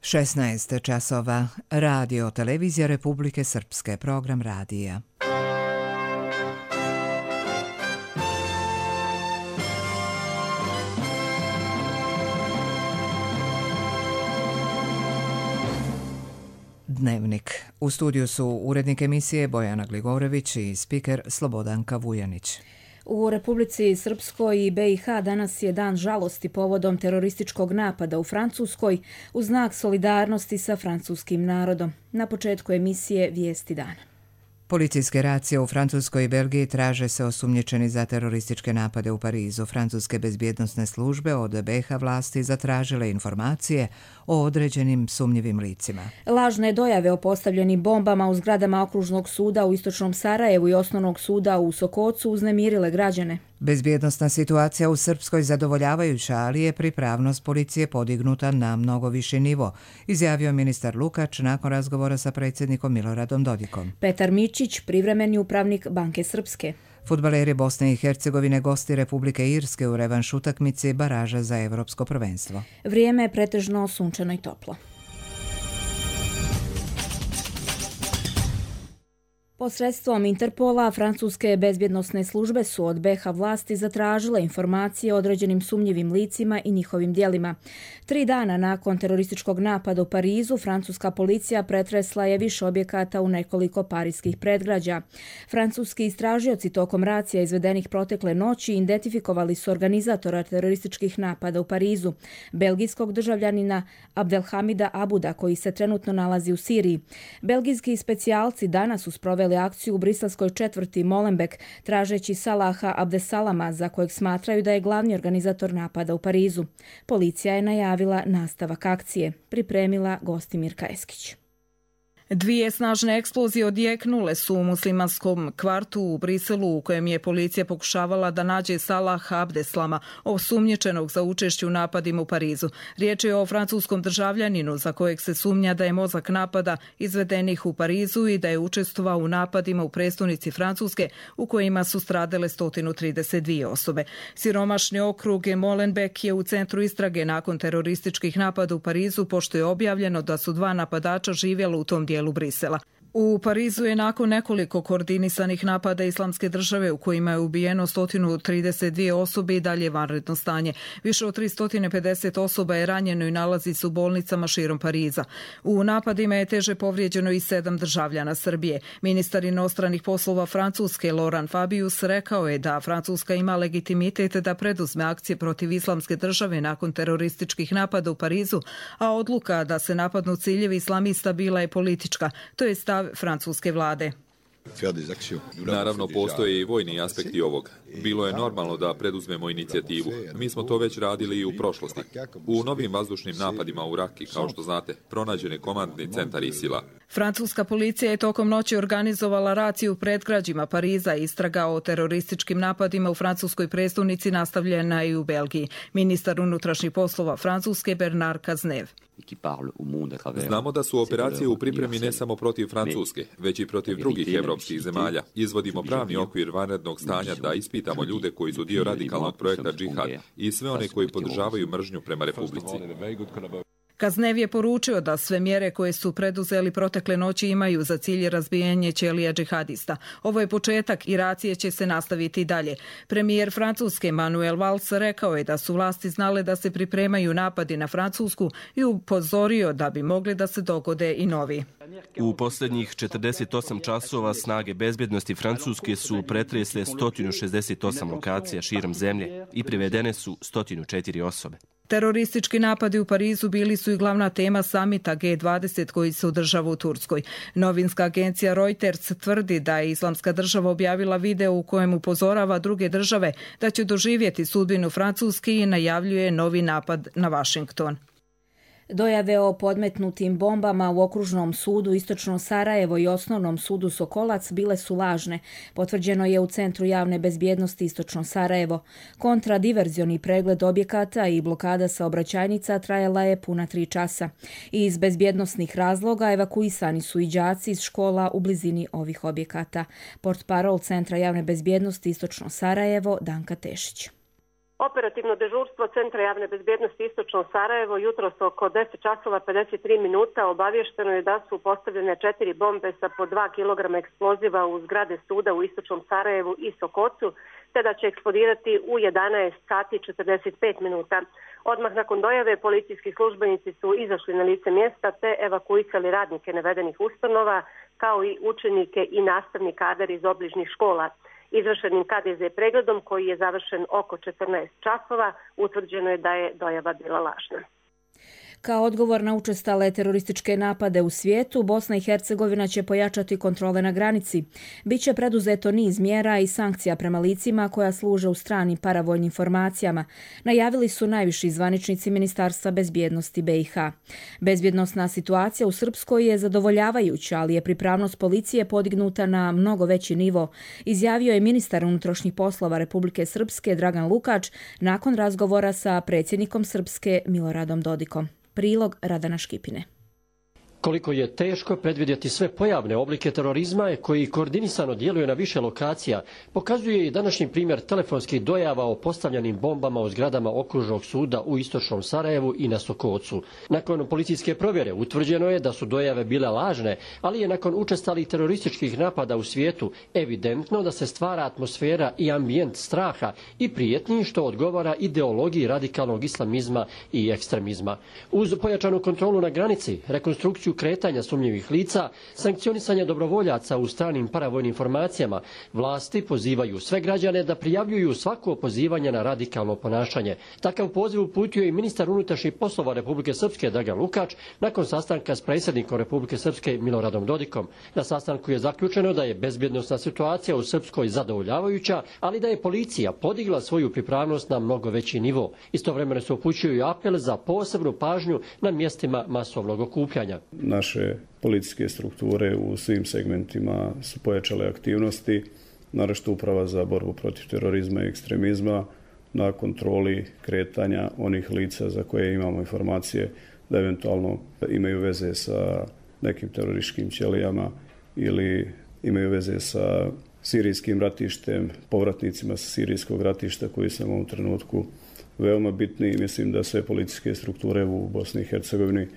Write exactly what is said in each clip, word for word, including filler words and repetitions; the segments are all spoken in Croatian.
šesnaest časova. Radio Televizija Republike Srpske. Program radija. Dnevnik. U studiju su urednik emisije Bojana Gligorević i spiker Slobodanka Vujanić. U Republici Srpskoj i be i ha danas je dan žalosti povodom terorističkog napada u Francuskoj u znak solidarnosti sa francuskim narodom. Na početku emisije Vijesti dana. Policijske racije u Francuskoj i Belgiji traže se osumnjičeni za terorističke napade u Parizu. Francuske bezbjednosne službe od be i ha vlasti zatražile informacije o određenim sumnjivim licima. Lažne dojave o postavljenim bombama u zgradama okružnog suda u istočnom Sarajevu i osnovnog suda u Sokocu uznemirile građane. Bezbjednosna situacija u Srpskoj zadovoljavajuća, ali je pripravnost policije podignuta na mnogo viši nivo, izjavio ministar Lukač nakon razgovora sa predsjednikom Miloradom Dodikom. Petar Mičić, privremeni upravnik Banke Srpske. Fudbaleri Bosne i Hercegovine gosti Republike Irske u revanš utakmici baraža za evropsko prvenstvo. Vrijeme je pretežno sunčano i toplo. Posredstvom Interpola, francuske bezbjednosne službe su od be i ha vlasti zatražile informacije o određenim sumnjivim licima i njihovim djelima. Tri dana nakon terorističkog napada u Parizu, francuska policija pretresla je više objekata u nekoliko parijskih predgrađa. Francuski istražioci tokom racija izvedenih protekle noći identifikovali su organizatora terorističkih napada u Parizu, belgijskog državljanina Abdelhamida Abuda, koji se trenutno nalazi u Siriji. Belgijski specijalci danas su sproveli akciju u briselskoj četvrti Molenbeek, tražeći Salaha Abdesalama, za kojeg smatraju da je glavni organizator napada u Parizu. Policija je najavila nastavak akcije. Pripremila Gostimirka Eskić. Dvije snažne eksplozije odjeknule su u muslimanskom kvartu u Briselu, u kojem je policija pokušavala da nađe Salaha Abdeslama, osumnjičenog za učešće u napadima u Parizu. Riječ je o francuskom državljaninu za kojeg se sumnja da je mozak napada izvedenih u Parizu i da je učestvovao u napadima u prestonici Francuske, u kojima su stradale sto trideset dvije osobe. Siromašni okrug Molenbeek je u centru istrage nakon terorističkih napada u Parizu, pošto je objavljeno da su dva napadača živjela u tom dijelu Brisela. U Parizu je nakon nekoliko koordinisanih napada Islamske države u kojima je ubijeno sto trideset dvije osobe i dalje vanredno stanje. Više od tristo pedeset osoba je ranjeno i nalazi se u bolnicama širom Pariza. U napadima je teže povrijeđeno i sedam državljana Srbije. Ministar inostranih poslova Francuske Laurent Fabius rekao je da Francuska ima legitimitet da preduzme akcije protiv Islamske države nakon terorističkih napada u Parizu, a odluka da se napadnu ciljevi islamista bila je politička. To je stav francuske vlade. Naravno, postoje i vojni aspekti ovog. Bilo je normalno da preduzmemo inicijativu. Mi smo to već radili i u prošlosti. U novim vazdušnim napadima u Raki, kao što znate, pronađen je komandni centar ISIL-a. Francuska policija je tokom noći organizovala raciju u predgrađima Pariza. Istraga o terorističkim napadima u francuskoj prestonici nastavljena i u Belgiji. Ministar unutrašnjih poslova Francuske Bernard Cazeneuve. Znamo da su operacije u pripremi ne samo protiv Francuske, već i protiv drugih evropskih zemalja. Izvodimo pravni okvir vanrednog stanja da ispitamo ljude koji su dio radikalnog projekta Džihad i sve one koji podržavaju mržnju prema Republici. Cazeneuve je poručio da sve mjere koje su preduzeli protekle noći imaju za cilj razbijanje ćelija džihadista. Ovo je početak i racije će se nastaviti dalje. Premijer Francuske Manuel Valls rekao je da su vlasti znale da se pripremaju napadi na Francusku i upozorio da bi mogli da se dogode i novi. U posljednjih četrdeset osam časova snage bezbjednosti Francuske su pretresle sto šezdeset osam lokacija širom zemlje i privedene su sto četiri osobe. Teroristički napadi u Parizu bili su i glavna tema samita G dvadeset koji se održava u Turskoj. Novinska agencija Reuters tvrdi da je Islamska država objavila video u kojem upozorava druge države da će doživjeti sudbinu Francuske i najavljuje novi napad na Washington. Dojave o podmetnutim bombama u okružnom sudu Istočno Sarajevo i osnovnom sudu Sokolac bile su lažne, potvrđeno je u Centru javne bezbjednosti Istočno Sarajevo. Kontradiverzioni pregled objekata i blokada saobraćajnica trajala je puna tri časa. Iz bezbjednosnih razloga evakuisani su i đaci iz škola u blizini ovih objekata. Portparol Centra javne bezbjednosti Istočno Sarajevo Danka Tešić. Operativno dežurstvo Centra javne bezbjednosti Istočno Sarajevo jutros oko deset časova pedeset tri minuta obavješteno je da su postavljene četiri bombe sa po dva kilograma eksploziva u zgrade suda u Istočnom Sarajevu i Sokocu, te da će eksplodirati u jedanaest sati i četrdeset pet minuta. Odmah nakon dojave policijski službenici su izašli na lice mjesta te evakuisali radnike navedenih ustanova, kao i učenike i nastavni kadar iz obližnjih škola. Izvršenim K D Z pregledom koji je završen oko četrnaest časova utvrđeno je da je dojava bila lažna. Kao odgovor na učestale terorističke napade u svijetu, Bosna i Hercegovina će pojačati kontrole na granici. Biće preduzeto niz mjera i sankcija prema licima koja služe u stranim paravojnim formacijama, najavili su najviši zvaničnici Ministarstva bezbjednosti B i H. Bezbjednosna situacija u Srpskoj je zadovoljavajuća, ali je pripravnost policije podignuta na mnogo veći nivo, izjavio je ministar unutrašnjih poslova Republike Srpske Dragan Lukač nakon razgovora sa predsjednikom Srpske Miloradom Dodikom. Prilog Radana Škipine. Koliko je teško predvidjeti sve pojavne oblike terorizma koji koordinisano djeluju na više lokacija, pokazuje i današnji primjer telefonskih dojava o postavljanim bombama u zgradama okružnog suda u Istočnom Sarajevu i na Sokocu. Nakon policijske provjere utvrđeno je da su dojave bile lažne, ali je nakon učestalih terorističkih napada u svijetu evidentno da se stvara atmosfera i ambijent straha i prijetnji što odgovara ideologiji radikalnog islamizma i ekstremizma. Uz pojačanu kontrolu na granici, rekonstrukciju kretanja sumnjivih lica, sankcionisanje dobrovoljaca u stranim paravojnim formacijama, vlasti pozivaju sve građane da prijavljuju svako pozivanje na radikalno ponašanje. Takav poziv uputio i ministar unutrašnjih poslova Republike Srpske Dragan Lukač nakon sastanka s predsjednikom Republike Srpske Miloradom Dodikom. Na sastanku je zaključeno da je bezbjednosna situacija u Srpskoj zadovoljavajuća, ali da je policija podigla svoju pripravnost na mnogo veći nivo. Istovremeno se upućuju i apel za posebnu pažnju na mjestima masovnog okupljanja. Naše policijske strukture u svim segmentima su pojačale aktivnosti, naročito Uprava za borbu protiv terorizma i ekstremizma na kontroli kretanja onih lica za koje imamo informacije da eventualno imaju veze sa nekim terorističkim ćelijama ili imaju veze sa sirijskim ratištem, povratnicima sa sirijskog ratišta koji su u ovom trenutku veoma bitni i mislim da sve policijske strukture u Bosni i Hercegovini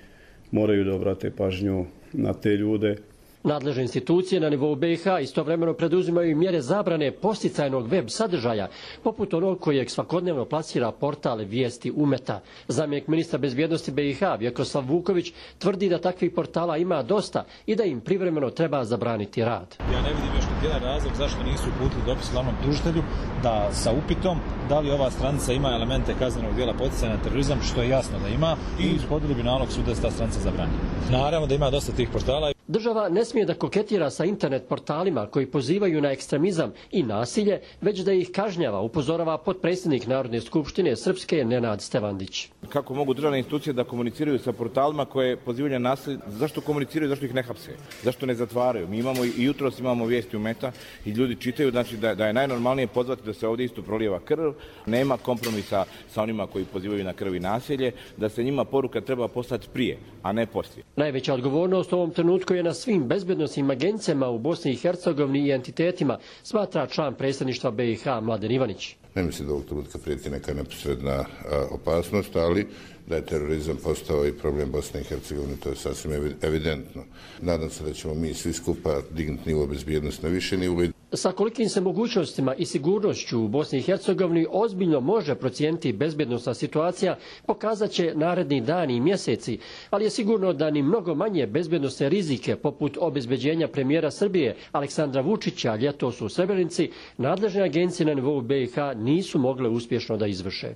moraju da obrate pažnju na te ljude. Nadležne institucije na nivou B i H istovremeno preduzimaju i mjere zabrane posticajnog web sadržaja, poput onog kojeg svakodnevno plasira portal Vijesti Umeta. Zamjenik ministra bezbjednosti B i H Vjekoslav Vuković tvrdi da takvih portala ima dosta i da im privremeno treba zabraniti rad. Ja ne vidim još niti jedan razlog zašto nisu uputili dopis glavnom tužitelju da sa upitom da li ova stranica ima elemente kaznenog djela poticanja na terorizam, što je jasno da ima, i ishodili bi nalog suda da se ta stranica zabrani. Naravno da ima dosta tih portala. Država ne smije da koketira sa internet portalima koji pozivaju na ekstremizam i nasilje, već da ih kažnjava, upozorava potpredsjednik Narodne skupštine Srpske Nenad Stevandić. Kako mogu državne institucije da komuniciraju sa portalima koje pozivaju na nasilje? Zašto komuniciraju, zašto ih ne hapse? Zašto ne zatvaraju? Mi imamo i jutros imamo Vijesti Umeta i ljudi čitaju, znači da, da je najnormalnije pozvati da se ovdje isto prolijeva krv, nema kompromisa sa onima koji pozivaju na krv i nasilje, da se njima poruka treba poslati prije, a ne poslije. Najveća odgovornost u ovom trenutku je na svim bezbjednosnim agencijama u Bosni i Hercegovini i entitetima, smatra član predsjedništva B i H Mladen Ivanić. Ne mislim da ovog trenutka prijeti neka neposredna opasnost, ali da je terorizam postao i problem Bosne i Hercegovine, to je sasvim evidentno. Nadam se da ćemo mi svi skupa dignuti nivo bezbjednosti na više nivo. Sa kolikim se mogućnostima i sigurnošću u Bosni i Hercegovini ozbiljno može procijeniti bezbjednosna situacija, pokazat će naredni dani i mjeseci, ali je sigurno da ni mnogo manje bezbjednosne rizike, poput obezbeđenja premijera Srbije Aleksandra Vučića ljetos u Srebrenici, nadležne agencije na nivou B i H nisu mogle uspješno da izvrše.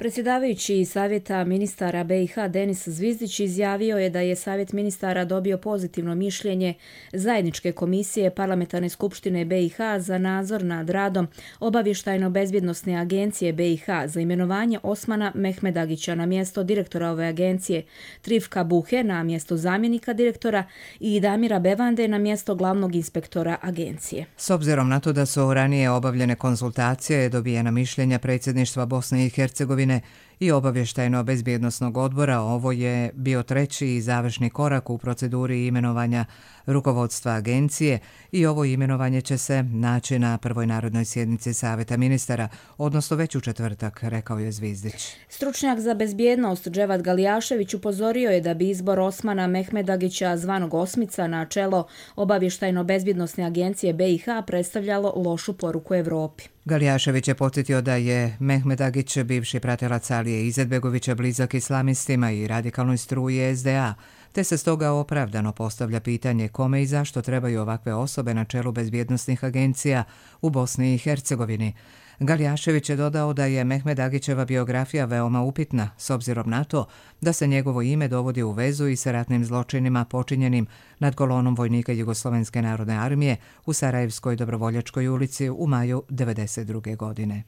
Predsjedavajući Savjeta ministara B i H Denis Zvizdić izjavio je da je Savjet ministara dobio pozitivno mišljenje Zajedničke komisije Parlamentarne skupštine B i H za nadzor nad radom Obavještajno-bezbjednosne agencije B i H za imenovanje Osmana Mehmedagića na mjesto direktora ove agencije, Trifka Buhe na mjesto zamjenika direktora i Damira Bevande na mjesto glavnog inspektora agencije. S obzirom na to da su ranije obavljene konzultacije, dobijena mišljenja predsjedništva Bosne i Hercegovine i obavještajno-bezbjednosnog odbora. Ovo je bio treći i završni korak u proceduri imenovanja rukovodstva agencije i ovo imenovanje će se naći na prvoj narodnoj sjednici Saveta ministara, odnosno već u četvrtak, rekao je Zvizdić. Stručnjak za bezbjednost Dževad Galijašević upozorio je da bi izbor Osmana Mehmedagića zvanog Osmica na čelo obavještajno-bezbjednosne agencije B i H predstavljalo lošu poruku Evropi. Galijašević je podsjetio da je Mehmedagić, bivši pratilac Alije Izetbegovića, blizak islamistima i radikalnoj struji S D A, te se stoga opravdano postavlja pitanje kome i zašto trebaju ovakve osobe na čelu bezbjednosnih agencija u Bosni i Hercegovini. Galijašević je dodao da je Mehmedagićeva biografija veoma upitna, s obzirom na to da se njegovo ime dovodi u vezu i sa ratnim zločinima počinjenim nad kolonom vojnika Jugoslovenske narodne armije u Sarajevskoj Dobrovoljačkoj ulici u maju devedeset druge. godine.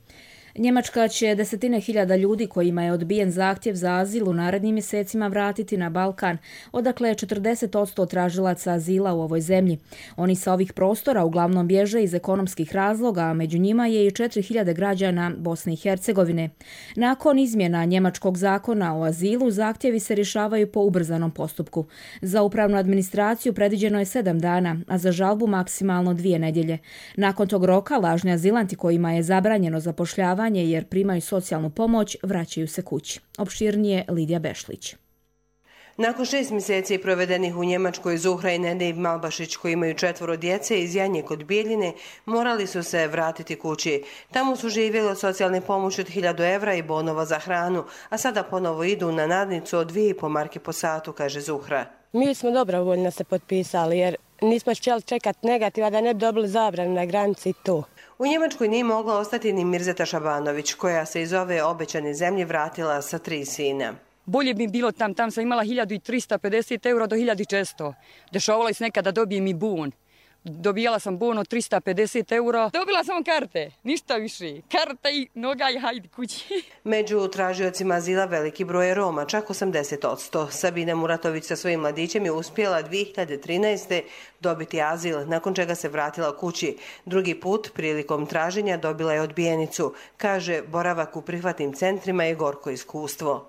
Njemačka će desetine hiljada ljudi kojima je odbijen zahtjev za azil u narednim mjesecima vratiti na Balkan, odakle je četrdeset posto tražilaca azila u ovoj zemlji. Oni sa ovih prostora uglavnom bježe iz ekonomskih razloga, a među njima je i četiri hiljade građana Bosne i Hercegovine. Nakon izmjena njemačkog zakona o azilu, zahtjevi se rješavaju po ubrzanom postupku. Za upravnu administraciju predviđeno je sedam dana, a za žalbu maksimalno dvije nedjelje. Nakon tog roka, lažni azilanti kojima je zabranjeno zapošljavanje jer primaju socijalnu pomoć, vraćaju se kući. Opširnije Lidija Bešlić. Nakon šest mjeseci provedenih u Njemačkoj, Zuhra i Nedev Malbašić, koji imaju četvoro djece iz Janje kod Bijeljine, morali su se vratiti kući. Tamo su živjeli od socijalne pomoći od hiljadu evra i bonova za hranu, a sada ponovo idu na nadnicu od dvije i po marke po satu, kaže Zuhra. Mi smo dobrovoljno se potpisali jer nismo htjeli čekati negativa da ne bi dobili zabranu na granici i to. U Njemačkoj nije mogla ostati ni Mirzeta Šabanović, koja se iz ove obećane zemlje vratila sa tri sina. Bolje bi bilo tam, tam sam imala hiljadu trista pedeset eura do hiljadu četiristo. Dešavalo se nekada dobijem i bon. Dobijala sam bon od trista pedeset eura. Dobila sam karte, ništa više. Karta i noga i hajde kući. Među tražiocima azila veliki broj je Roma, čak osamdeset posto. Sabina Muratović sa svojim mladićem je uspjela dvije hiljade trinaeste. dobiti azil, nakon čega se vratila kući. Drugi put, prilikom traženja, dobila je odbijenicu. Kaže, boravak u prihvatnim centrima je gorko iskustvo.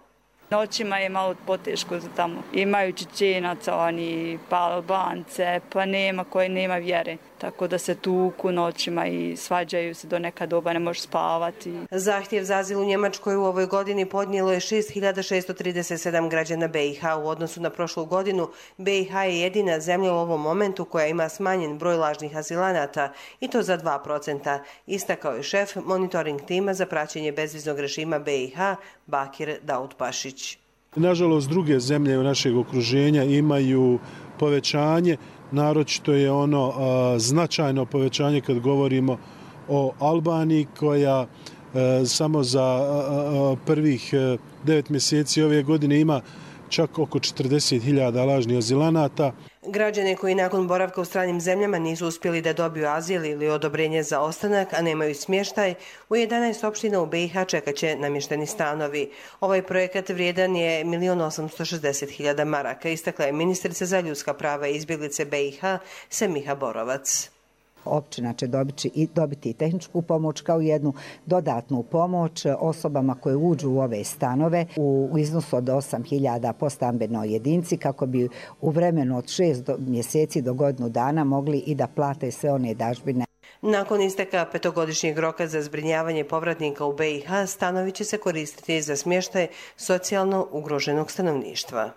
Noćima je malo poteško za tamo. Imaju Čečenaca, oni pa Albance, pa nema koje nema vjere. Tako da se tuku noćima i svađaju se do neka doba, ne može spavati. Zahtjev za azil u Njemačkoj u ovoj godini podnijelo je šest hiljada šesto trideset sedam građana B i H. U odnosu na prošlu godinu, B i H je jedina zemlja u ovom momentu koja ima smanjen broj lažnih azilanata, i to za dva procenta, istakao je šef monitoring tima za praćenje bezviznog režima B i H, Bakir Dautpašić. Nažalost, druge zemlje u našeg okruženja imaju povećanje, naročito je ono a, značajno povećanje kad govorimo o Albaniji, koja a, samo za a, a, prvih a, devet mjeseci ove godine ima čak oko četrdeset hiljada lažnih azilanata. Građane koji nakon boravka u stranim zemljama nisu uspjeli da dobiju azil ili odobrenje za ostanak, a nemaju smještaj, u jedanaest opština u B i H čekat će namješteni stanovi. Ovaj projekat vrijedan je milion osamsto šezdeset hiljada maraka, istakla je ministrica za ljudska prava i izbjeglice B i H Semiha Borovac. Općina će dobiti, dobiti i tehničku pomoć kao jednu dodatnu pomoć osobama koje uđu u ove stanove u iznosu od osam hiljada po stambenoj jedinci, kako bi u vremenu od šest mjeseci do godinu dana mogli i da plate sve one dažbine. Nakon isteka petogodišnjeg roka za zbrinjavanje povratnika u B i H, stanovi će se koristiti za smještaj socijalno ugroženog stanovništva.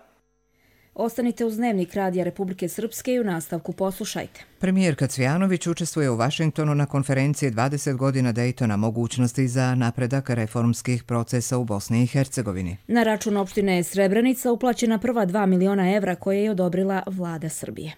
Ostanite uz Dnevnik Radija Republike Srpske i u nastavku poslušajte. Premijerka Cvjanović učestvuje u Vašingtonu na konferenciji dvadeset godina Dejtona, mogućnosti za napredak reformskih procesa u Bosni i Hercegovini. Na račun opštine Srebrenica uplaćena prva dva miliona evra koje je odobrila vlada Srbije.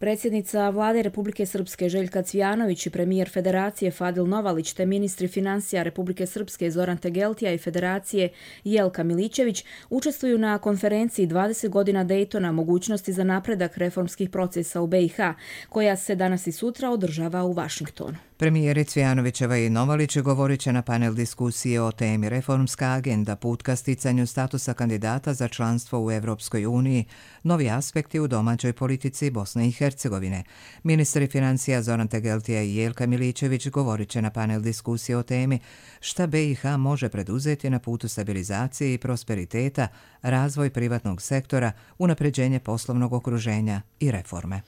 Predsjednica vlade Republike Srpske Željka Cvjanović i premijer Federacije Fadil Novalić te ministri financija Republike Srpske Zoran Tegeltija i Federacije Jelka Milićević učestvuju na konferenciji dvadeset godina Dejtona, mogućnosti za napredak reformskih procesa u B i H, koja se danas i sutra održava u Vašingtonu. Premijeri Cvjanovićeva i Novalić govorit će na panel diskusije o temi Reformska agenda, put ka sticanju statusa kandidata za članstvo u Evropskoj uniji, novi aspekti u domaćoj politici Bosne i Hercegovine. Hercegovine. Ministri financija Zoran Tegeltija i Jelka Miličević govorit će na panel diskusije o temi šta B i H može preduzeti na putu stabilizacije i prosperiteta, razvoj privatnog sektora, unapređenje poslovnog okruženja i reforme.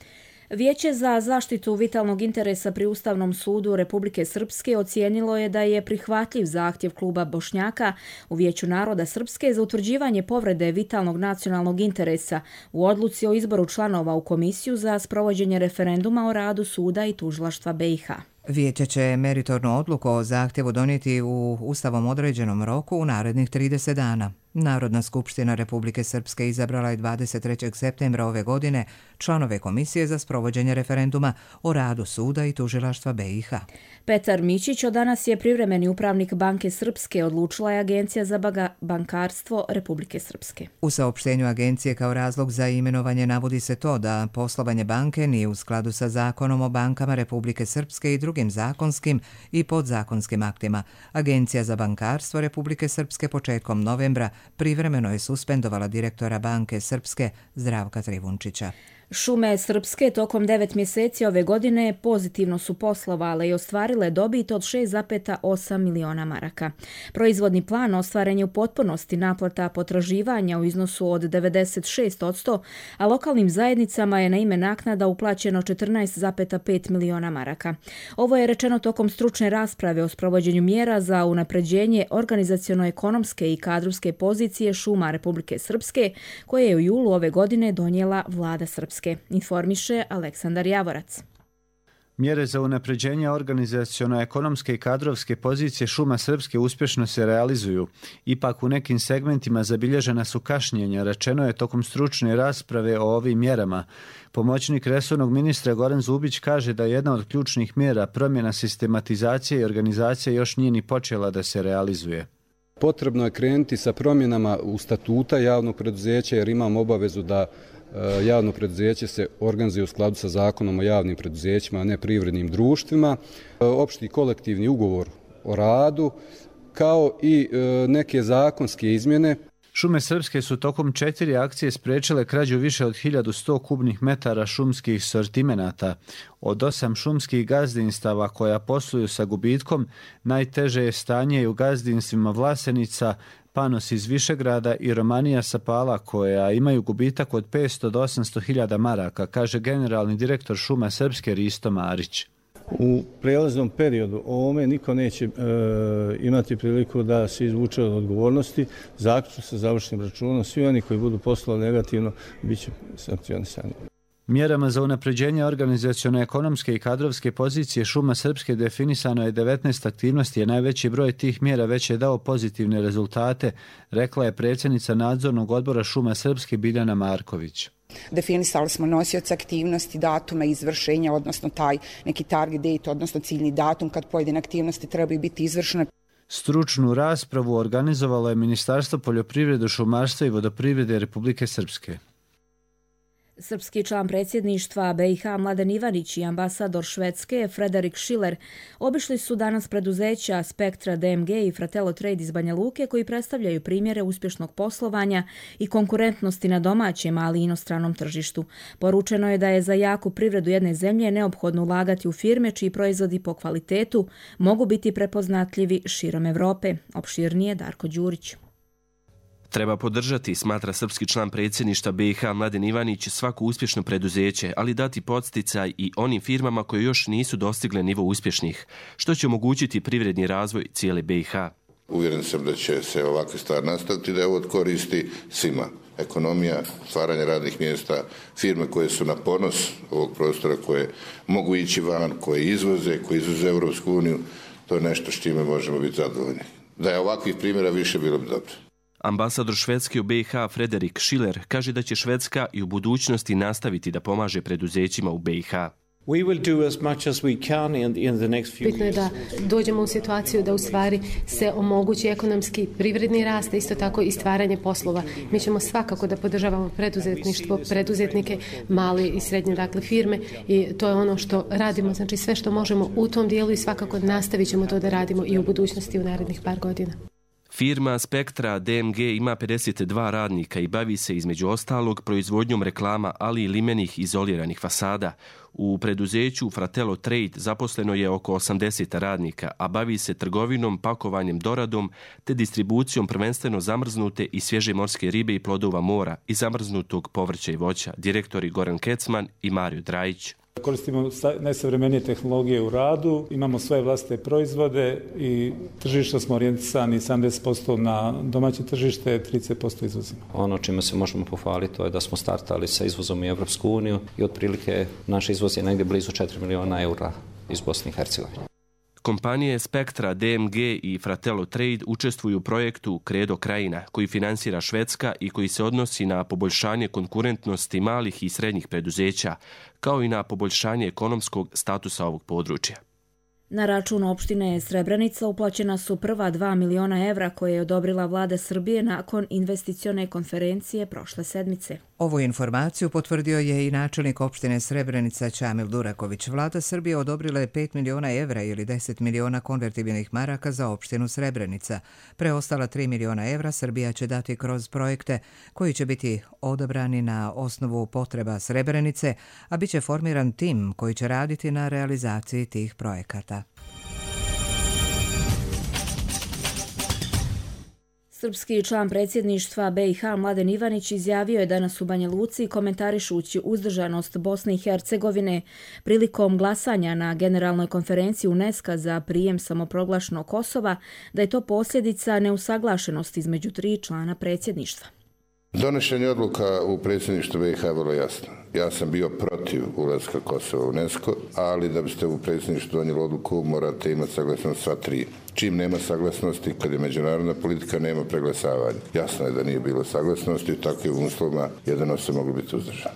Vijeće za zaštitu vitalnog interesa pri Ustavnom sudu Republike Srpske ocijenilo je da je prihvatljiv zahtjev kluba Bošnjaka u Vijeću naroda Srpske za utvrđivanje povrede vitalnog nacionalnog interesa u odluci o izboru članova u komisiju za sprovođenje referenduma o radu suda i tužilaštva B i H. Vijeće će meritornu odluku o zahtjevu donijeti u ustavom određenom roku u narednih trideset dana. Narodna skupština Republike Srpske izabrala je dvadeset trećeg septembra ove godine članove komisije za sprovođenje referenduma o radu suda i tužilaštva B i H. Petar Mićić od danas je privremeni upravnik Banke Srpske, odlučila je Agencija za bankarstvo Republike Srpske. U saopštenju agencije kao razlog za imenovanje navodi se to da poslovanje banke nije u skladu sa Zakonom o bankama Republike Srpske i drugim zakonskim i podzakonskim aktima. Agencija za bankarstvo Republike Srpske početkom novembra privremeno je suspendovala direktora Banke Srpske Zdravka Trivunčića. Šume Srpske tokom devet mjeseci ove godine pozitivno su poslovale i ostvarile dobit od šest zarez osam miliona maraka. Proizvodni plan ostvaren je u potpunosti, naplata potraživanja u iznosu od devedeset šest posto, a lokalnim zajednicama je na ime naknada uplaćeno četrnaest zarez pet miliona maraka. Ovo je rečeno tokom stručne rasprave o sprovođenju mjera za unapređenje organizaciono-ekonomske i kadrovske pozicije šuma Republike Srpske, koje je u julu ove godine donijela vlada Srpske. Informiše Aleksandar Javorac. Mjere za unapređenje organizaciono-ekonomske i kadrovske pozicije šuma Srpske uspješno se realizuju. Ipak u nekim segmentima zabilježena su kašnjenja, rečeno je tokom stručne rasprave o ovim mjerama. Pomoćnik resornog ministra Goran Zubić kaže da jedna od ključnih mjera promjena sistematizacije i organizacije još nije ni počela da se realizuje. Potrebno je krenuti sa promjenama u statuta javnog preduzeća jer imamo obavezu da javno preduzeće se organizuje u skladu sa Zakonom o javnim preduzećima, a ne privrednim društvima, opšti kolektivni ugovor o radu, kao i neke zakonske izmjene. Šume Srpske su tokom četiri akcije spriječile krađu više od hiljadu sto kubnih metara šumskih sortimenata. Od osam šumskih gazdinstava koja posluju sa gubitkom, najteže je stanje i u gazdinstvima Vlasenica, Panos iz Višegrada i Romanija Sapala, koja imaju gubitak od petsto do osamsto hiljada maraka, kaže generalni direktor Šuma Srpske Risto Marić. U prijelaznom periodu ovome niko neće e, imati priliku da se izvuče od odgovornosti. Zaključno sa završnim računom, svi oni koji budu poslovali negativno bit će sankcionisani. Mjerama za unapređenje organizaciono-ekonomske i kadrovske pozicije Šuma Srpske definisano je devetnaest aktivnosti, a najveći broj tih mjera već je dao pozitivne rezultate, rekla je predsjednica nadzornog odbora Šuma Srpske Biljana Marković. Definisali smo nosioce aktivnosti, datume izvršenja, odnosno taj neki target date, odnosno ciljni datum kad pojedine aktivnosti trebaju biti izvršene. Stručnu raspravu organizovalo je Ministarstvo poljoprivrede, šumarstva i vodoprivrede Republike Srpske. Srpski član predsjedništva B i H Mladen Ivanić i ambasador Švedske Frederik Schiller obišli su danas preduzeća Spektra D M G i Fratello Trade iz Banja Luke koji predstavljaju primjere uspješnog poslovanja i konkurentnosti na domaćem, ali i inostranom tržištu. Poručeno je da je za jaku privredu jedne zemlje neophodno ulagati u firme čiji proizvodi po kvalitetu mogu biti prepoznatljivi širom Evrope. Opširnije Darko Đurić. Treba podržati, smatra srpski član predsjedništva B i H Mladen Ivanić, svako uspješno preduzeće, ali dati podsticaj i onim firmama koje još nisu dostigle nivo uspješnih, što će omogućiti privredni razvoj cijele B i H. Uvjeren sam da će se ovakve stvari nastaviti, da je ovo koristi svima. Ekonomija, stvaranje radnih mjesta, firme koje su na ponos ovog prostora, koje mogu ići van, koje izvoze, koje izvoze Europsku uniju, to je nešto s čime možemo biti zadovoljni. Da je ovakvih primjera više, bilo bi dobro. Ambasador Švedske u B i H Frederik Schiller kaže da će Švedska i u budućnosti nastaviti da pomaže preduzećima u B i H. Bitno je da dođemo u situaciju da u stvari se omogući ekonomski privredni rast, isto tako i stvaranje poslova. Mi ćemo svakako da podržavamo preduzetništvo, preduzetnike, male i srednje dakle firme i to je ono što radimo, znači sve što možemo u tom dijelu i svakako nastavit ćemo to da radimo i u budućnosti u narednih par godina. Firma Spektra D M G ima pedeset dva radnika i bavi se između ostalog proizvodnjom reklama, ali i limenih izoliranih fasada. U preduzeću Fratello Trade zaposleno je oko osamdeset radnika, a bavi se trgovinom, pakovanjem, doradom te distribucijom prvenstveno zamrznute i svježe morske ribe i plodova mora i zamrznutog povrća i voća, direktori Goran Kecman i Mario Drajić. Koristimo najsavremenije tehnologije u radu, imamo svoje vlastite proizvode i tržišta smo orijentisani sedamdeset posto na domaće tržište, trideset posto izvozimo. Ono čime se možemo pohvaliti to je da smo startali sa izvozom u Evropsku uniju i otprilike naš izvoz je negdje blizu četiri miliona eura iz Bosne i Hercegovine. Kompanije Spektra, D M G i Fratello Trade učestvuju u projektu Credo Krajina, koji finansira Švedska i koji se odnosi na poboljšanje konkurentnosti malih i srednjih preduzeća, kao i na poboljšanje ekonomskog statusa ovog područja. Na račun opštine Srebrenica uplaćena su prva dva miliona evra koje je odobrila vlada Srbije nakon investicione konferencije prošle sedmice. Ovu informaciju potvrdio je i načelnik opštine Srebrenica Čamil Duraković. Vlada Srbije odobrila je pet miliona evra ili deset miliona konvertibilnih maraka za opštinu Srebrenica. Preostala tri miliona evra Srbija će dati kroz projekte koji će biti odabrani na osnovu potreba Srebrenice, a bit će formiran tim koji će raditi na realizaciji tih projekata. Srpski član predsjedništva B i H Mladen Ivanić izjavio je danas u Banja Luci komentarišući uzdržanost Bosne i Hercegovine prilikom glasanja na Generalnoj konferenciji UNESCO za prijem samoproglašenog Kosova da je to posljedica neusaglašenosti između tri člana predsjedništva. Donošenje odluka u predsjedništvu B i H je vrlo jasno. Ja sam bio protiv ulaska Kosova u UNESCO, ali da biste u predsjedništvu donijeli odluku morate imati saglasnost sva tri. Čim nema saglasnosti, kad je međunarodna politika, nema preglasavanja. Jasno je da nije bilo saglasnosti, u takvim uslovima jedan osob mogli biti uzdržan.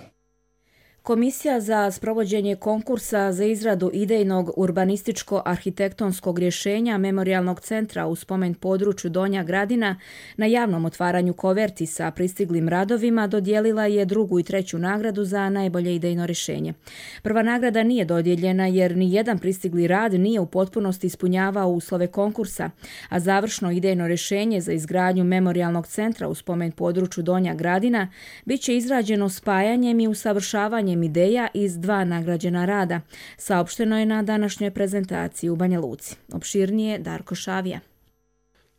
Komisija za sprovođenje konkursa za izradu idejnog urbanističko-arhitektonskog rješenja Memorijalnog centra u spomen području Donja Gradina na javnom otvaranju koverti sa pristiglim radovima dodijelila je drugu i treću nagradu za najbolje idejno rješenje. Prva nagrada nije dodijeljena jer ni jedan pristigli rad nije u potpunosti ispunjavao uslove konkursa, a završno idejno rješenje za izgradnju Memorijalnog centra u spomen području Donja Gradina bit će izrađeno spajanjem i usavršavanjem ideja iz dva nagrađena rada. Saopšteno je na današnjoj prezentaciji u Banja Luci. Opširnije Darko Šavija.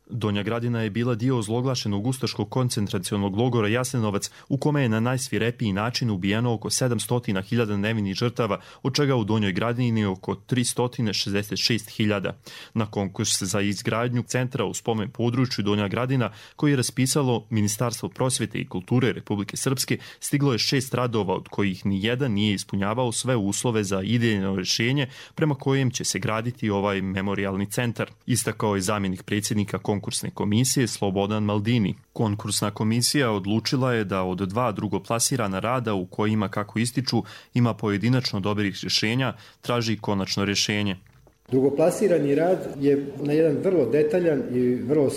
Donja Gradina je bila dio ozloglašenog ustaškog koncentracionog logora Jasenovac, u kome je na najsvirepiji način ubijeno oko sedamsto hiljada nevinih žrtava, od čega u Donjoj Gradini oko tristo šezdeset šest hiljada. Na konkurs za izgradnju centra u spomen području Donja Gradina, koji je raspisalo Ministarstvo prosvjete i kulture Republike Srpske, stiglo je šest radova, od kojih ni jedan nije ispunjavao sve uslove za idejno rješenje prema kojem će se graditi ovaj memorijalni centar. Istakao je zamjenik predsjednika konkursne komisije Slobodan Maldini. Konkursna komisija odlučila je da od dva drugoplasirana rada u kojima, kako ističu, ima pojedinačno dobrih rješenja, traži konačno rješenje. Drugoplasirani rad je na jedan vrlo detaljan i vrlo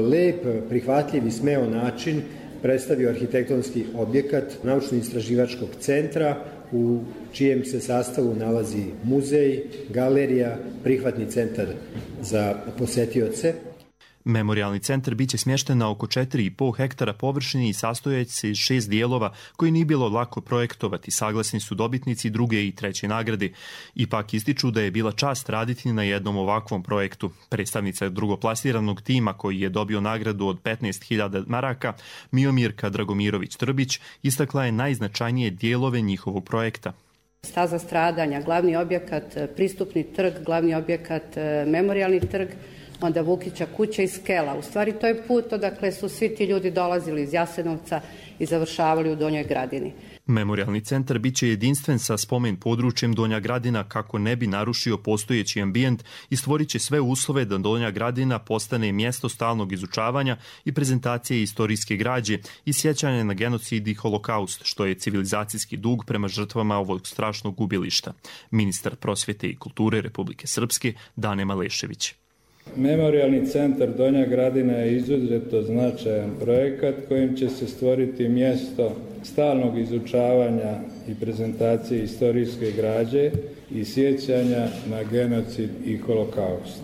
lep, prihvatljiv i smeo način predstavio arhitektonski objekat naučno-istraživačkog centra u čijem se sastavu nalazi muzej, galerija, prihvatni centar za posetioce. Memorijalni centar biće smješten na oko četiri i pol hektara površine i sastojeći se iz šest dijelova koji nije bilo lako projektovati. Saglasni su dobitnici druge i treće nagrade. Ipak ističu da je bila čast raditi na jednom ovakvom projektu. Predstavnica drugoplasiranog tima koji je dobio nagradu od petnaest hiljada maraka, Miomirka Dragomirović-Trbić, istakla je najznačajnije dijelove njihovog projekta. Staza stradanja, glavni objekat, pristupni trg, glavni objekat, memorijalni trg, onda Vukića kuća i skela. U stvari to je put odakle su svi ti ljudi dolazili iz Jasenovca i završavali u Donjoj Gradini. Memorijalni centar biće jedinstven sa spomen područjem Donja Gradina kako ne bi narušio postojeći ambijent i stvorit će sve uslove da Donja Gradina postane mjesto stalnog izučavanja i prezentacije istorijske građe i sjećanja na genocid i holokaust, što je civilizacijski dug prema žrtvama ovog strašnog gubilišta. Ministar prosvjete i kulture Republike Srpske Dane Malešević. Memorijalni centar Donja Gradina je izuzetno značajan projekat kojim će se stvoriti mjesto stalnog izučavanja i prezentacije istorijske građe i sjećanja na genocid i holokaust.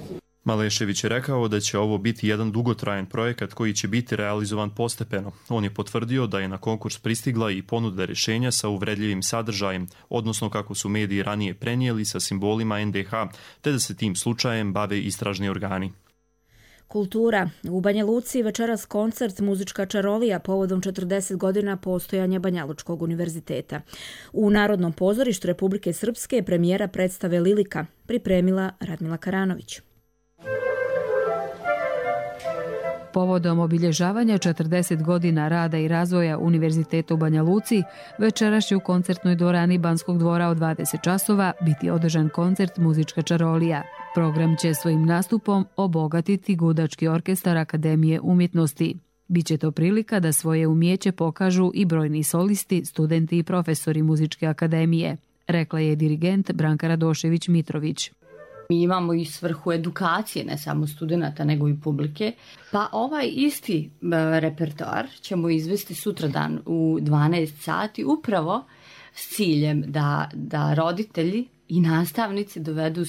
Malešević je rekao da će ovo biti jedan dugotrajan projekat koji će biti realizovan postepeno. On je potvrdio da je na konkurs pristigla i ponuda rješenja sa uvredljivim sadržajem, odnosno kako su mediji ranije prenijeli sa simbolima en de ha, te da se tim slučajem bave istražni organi. Kultura. U Banja Luci večeras koncert Muzička čarolija povodom četrdeset godina postojanja Banjalučkog univerziteta. U Narodnom pozorištu Republike Srpske premijera predstave Lilika pripremila Radmila Karanović. Povodom obilježavanja četrdeset godina rada i razvoja Univerziteta u Banja Luci, večeras će u koncertnoj dvorani Banskog dvora od dvadeset časova biti održan koncert Muzička čarolija. Program će svojim nastupom obogatiti gudački orkestar Akademije umjetnosti. Biće to prilika da svoje umijeće pokažu i brojni solisti, studenti i profesori Muzičke akademije, rekla je dirigent Branka Radošević-Mitrović. Mi imamo i svrhu edukacije, ne samo studenta, nego i publike. Pa ovaj isti repertoar ćemo izvesti sutradan u dvanaest sati upravo s ciljem da, da roditelji i nastavnici dovedu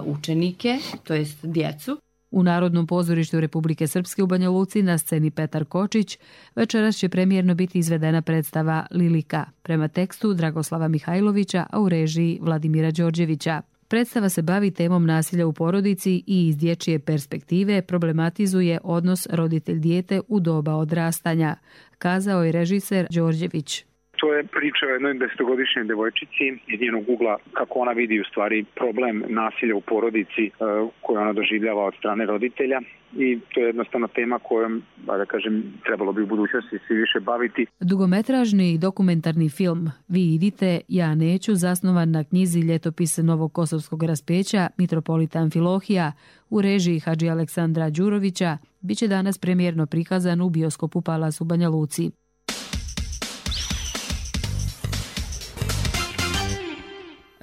učenike, to jest djecu. U Narodnom pozorištu Republike Srpske u Banja Luci na sceni Petar Kočić večeras će premijerno biti izvedena predstava Lilika prema tekstu Dragoslava Mihajlovića, a u režiji Vladimira Đorđevića. Predstava se bavi temom nasilja u porodici i iz dječje perspektive problematizuje odnos roditelj-dijete u doba odrastanja, kazao je režiser Đorđević. To je priča o jednoj desetogodišnjoj devojčici iz njenog ugla kako ona vidi u stvari problem nasilja u porodici koju ona doživljava od strane roditelja i to je jednostavno tema kojom, da kažem, trebalo bi u budućnosti svi više baviti. Dugometražni dokumentarni film Vi idite, ja neću, zasnovan na knjizi Ljetopis Novog Kosovskog raspeća Mitropolita Amfilohija u režiji Hadži Aleksandra Đurovića, bit će danas premijerno prikazan u bioskopu Palas u Banja Luci.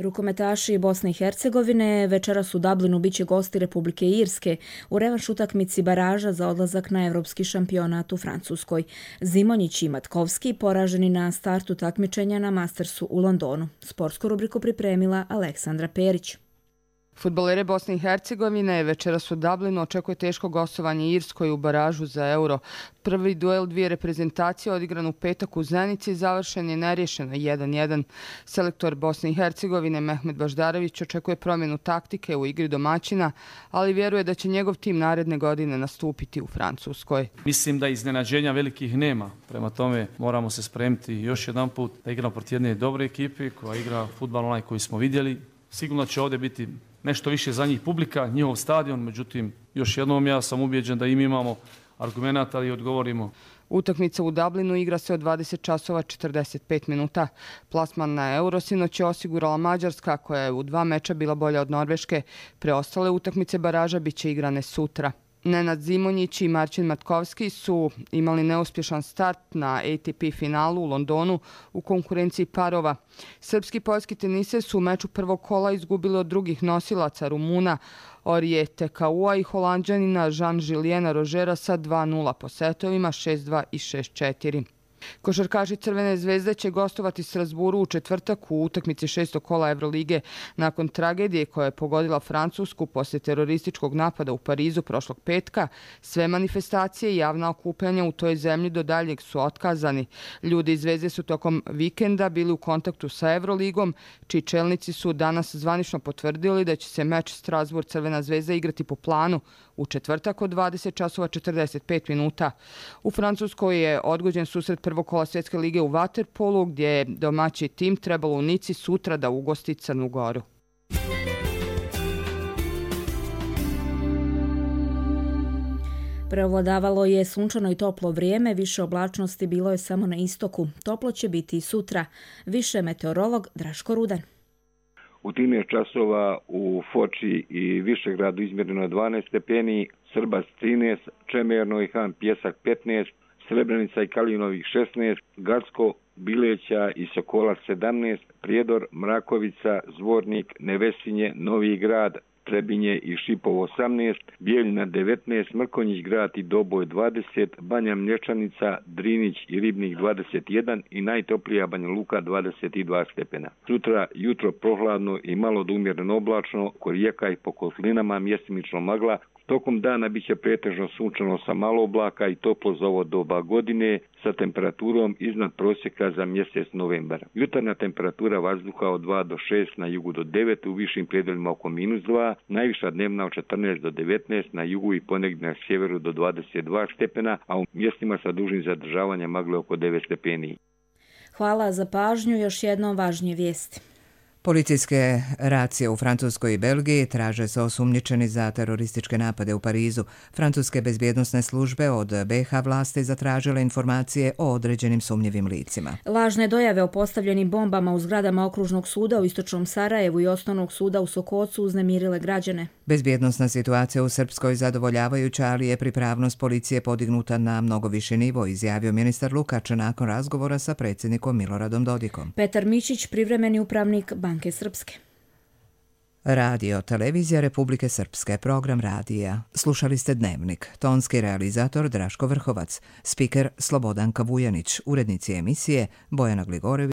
Rukometaši Bosne i Hercegovine večeras u Dublinu biće gosti Republike Irske u revanš utakmici baraža za odlazak na evropski šampionat u Francuskoj. Zimonjić i Matkovski poraženi na startu takmičenja na Mastersu u Londonu. Sportsku rubriku pripremila Aleksandra Perić. Fudbalere Bosne i Hercegovine večeras u Dublinu očekuje teško gostovanje Irskoj u baražu za Euro. Prvi duel dvije reprezentacije odigran u petak u Zenici završen je nerješeno jedan jedan. Selektor Bosne i Hercegovine Mehmet Baždarević očekuje promjenu taktike u igri domaćina, ali vjeruje da će njegov tim naredne godine nastupiti u Francuskoj. Mislim da iznenađenja velikih nema. Prema tome moramo se spremiti još jedan put da igramo protiv jedne dobre ekipe koja igra fudbal onaj koji smo vidjeli. Sigurno će ovdje biti nešto više za njih publika, njihov stadion, međutim, još jednom ja sam ubijeđen da im imamo argumenata i odgovorimo. Utakmica u Dublinu igra se od dvadeset časova četrdeset pet minuta. Plasman na Euro sinoć je osigurala Mađarska, koja je u dva meča bila bolja od Norveške. Preostale utakmice baraža bit će igrane sutra. Nenad Zimonjić i Marcin Matkovski su imali neuspješan start na A T P finalu u Londonu u konkurenciji parova. Srpski poljski tenise su u meču prvog kola izgubili od drugih nosilaca Rumuna Orije Tekaua i Holanđanina Jean-Juliena Rožera sa dva nula po setovima šest dva i šest četiri. Košarkaši Crvene zvezde će gostovati Strasburu u četvrtak u utakmici šestog kola Evrolige nakon tragedije koja je pogodila Francusku poslije terorističkog napada u Parizu prošlog petka. Sve manifestacije i javna okupljanja u toj zemlji do daljeg su otkazani. Ljudi iz Zvezde su tokom vikenda bili u kontaktu sa Evroligom, čiji čelnici su danas zvanično potvrdili da će se meč Strasbourg-Crvena zvezda igrati po planu u četvrtak od dvadeset časova četrdeset pet minuta. U Francuskoj je odgođen susret prvog kola Svjetske lige u vaterpolu, gdje je domaći tim trebalo u Nici sutra da ugosti Crnu Goru. Preovladavalo je sunčano i toplo vrijeme, više oblačnosti bilo je samo na istoku. Toplo će biti i sutra. Više meteorolog Draško Rudan. U trinaest časova u Foči i Višegradu izmjereno je dvanaest stepeni, Srbac trinaest, Čemerno i Han Pjesak petnaest, Srebrenica i Kalinovih šesnaest, Garsko, Bileća i Sokolac sedamnaest, Prijedor, Mrakovica, Zvornik, Nevesinje, Novi Grad, Trebinje i Šipovo osamnaest, Bijeljina devetnaest, Mrkonjić Grad i Doboj dvadeset, Banja Mlječanica, Drinić i Ribnik dvadeset jedan i najtoplija Banja Luka dvadeset dva stepena. Sutra jutro prohladno i malo do umjereno oblačno, kod rijeka i po kotlinama mjestimično magla, Tokom dana biće pretežno sunčano sa malo oblaka i toplo za ovo doba godine sa temperaturom iznad prosjeka za mjesec novembar. Jutarnja temperatura vazduha od dva do šest, na jugu do devet, u višim predelima oko minus dva, najviša dnevna od četrnaest do devetnaest, na jugu i ponegdje na sjeveru do dvadeset dva stepena, a u mjestima sa dužim zadržavanjem magle oko devet stepeni. Hvala za pažnju, još jednom važnije vijesti. Policijske racije u Francuskoj i Belgiji traže se osumnjičeni za terorističke napade u Parizu. Francuske bezbjednosne službe od B iH vlasti zatražile informacije o određenim sumnjivim licima. Lažne dojave o postavljenim bombama u zgradama okružnog suda u istočnom Sarajevu i osnovnog suda u Sokocu uznemirile građane. Bezbjednosna situacija u Srpskoj zadovoljavajuća, ali je pripravnost policije podignuta na mnogo viši nivo, izjavio ministar Lukač nakon razgovora sa predsjednikom Miloradom Dodikom. Petar Mičić, privremeni upravnik Banke Srpske. Radio Televizija Republike Srpske, program radija. Slušali ste Dnevnik. Tonski realizator Draško Vrhovac, spiker Slobodanka Vujanić, urednici emisije Bojana Gligorević.